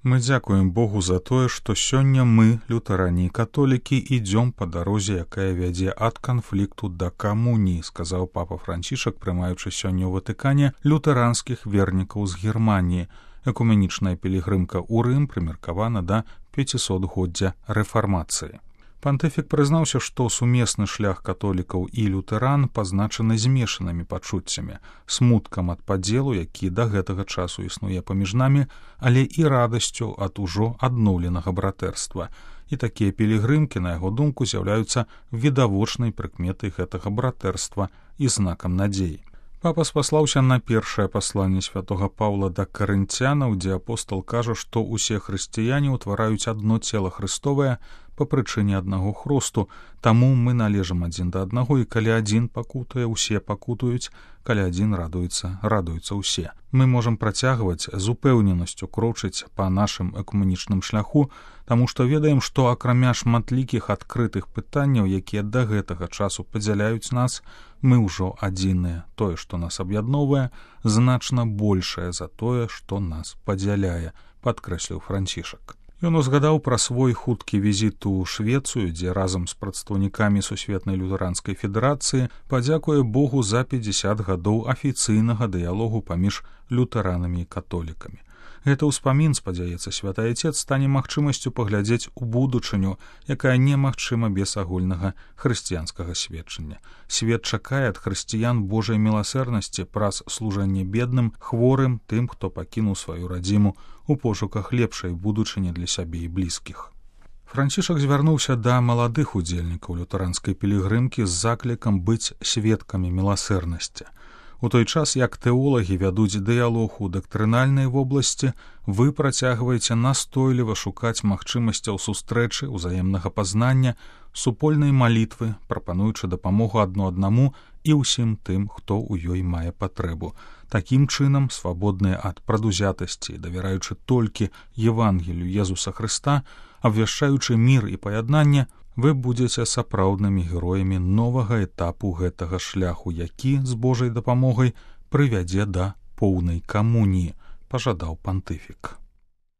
Мы дзякуем Богу за тое, што сёння мы, лютаране і католікі, ідзём па дарозе, якая вядзе ад канфлікту да камуніі, сказаў папа Францішак, прымаючы сёння ў Ватыкане лютаранскіх вернікаў з Германіі. Экуменічная пілігрымка ў Рым прымеркавана да 500-годдзя рэфармацыі. Пантыфік прызнаўся, што сумесны шлях католікаў і лютэран пазначаны змешанымі пачуццямі, смуткам ад падзелу, які да гэтага часу існуе паміж намі, але і радасцю ад ужо адноўленага братэрства. І такія пілігрымкі, на яго думку, з'яўляюцца відавочнай прыкметай гэтага братэрства і знакам надзеі. Папа спаслаўся на першае пасланне святога Паўла да карынцянаў, дзе апостол кажа, што ўсе хрысціяне ўтвараюць адно цела Хрыстовае па прычыне аднаго хросту, таму мы належым адзін да аднаго, і калі адзін пакутуе, усе пакутуюць, калі адзін радуюцца ўсе. Мы можам працягваць з упэўненасцю крочыць па нашым экуменічным шляху, таму што ведаем, што акрамя шматлікіх адкрытых пытанняў, якія да гэтага часу падзяляюць нас, мы ўжо адзіныя. Тое, што нас аб'ядноўвае, значна большае за тое, што нас падзяляе, падкрэсліў Францішак. Ён узгадаў пра свой хуткі візіт у Швецыю, дзе разам з прадстаўнікамі Сусветнай лютэранскай федэрацыі падзякуе Богу за 50 гадоў афіцыйнага дыялогу паміж лютаранамі і католікамі. Гэта ўспамін, спадзяецца святы Айцец, стане магчымасцю паглядзець у будучыню, якая немагчыма без агульнага хрысціянскага сведчання. Свет чакае ад хрысціян Божай міласэрнасці праз служэнне бедным, хворым, тым, хто пакінуў сваю радзіму у пошуках лепшай будучыні для сябе і блізкіх. Францішак звярнуўся да маладых удзельнікаў лютаранскай пілігрымкі з заклікам быць сведкамі міласэрнасці. У той час, як тэолагі вядуць дыялог у дактрынальнай вобласці, вы працягваеце настойліва шукаць магчымасцяў сустрэчы, узаемнага пазнання, супольнай малітвы, прапануючы дапамогу адно аднаму і ўсім тым, хто ў ёй мае патрэбу. Такім чынам, свабодныя ад прадузятасці, давяраючы толькі Евангелію Езуса Хрыста, абвяшчаючы мір і паяднанне, вы будзеце сапраўднымі героямі новага этапу гэтага шляху, які з Божай дапамогай прывядзе да поўнай камуніі, пажадаў пантыфік.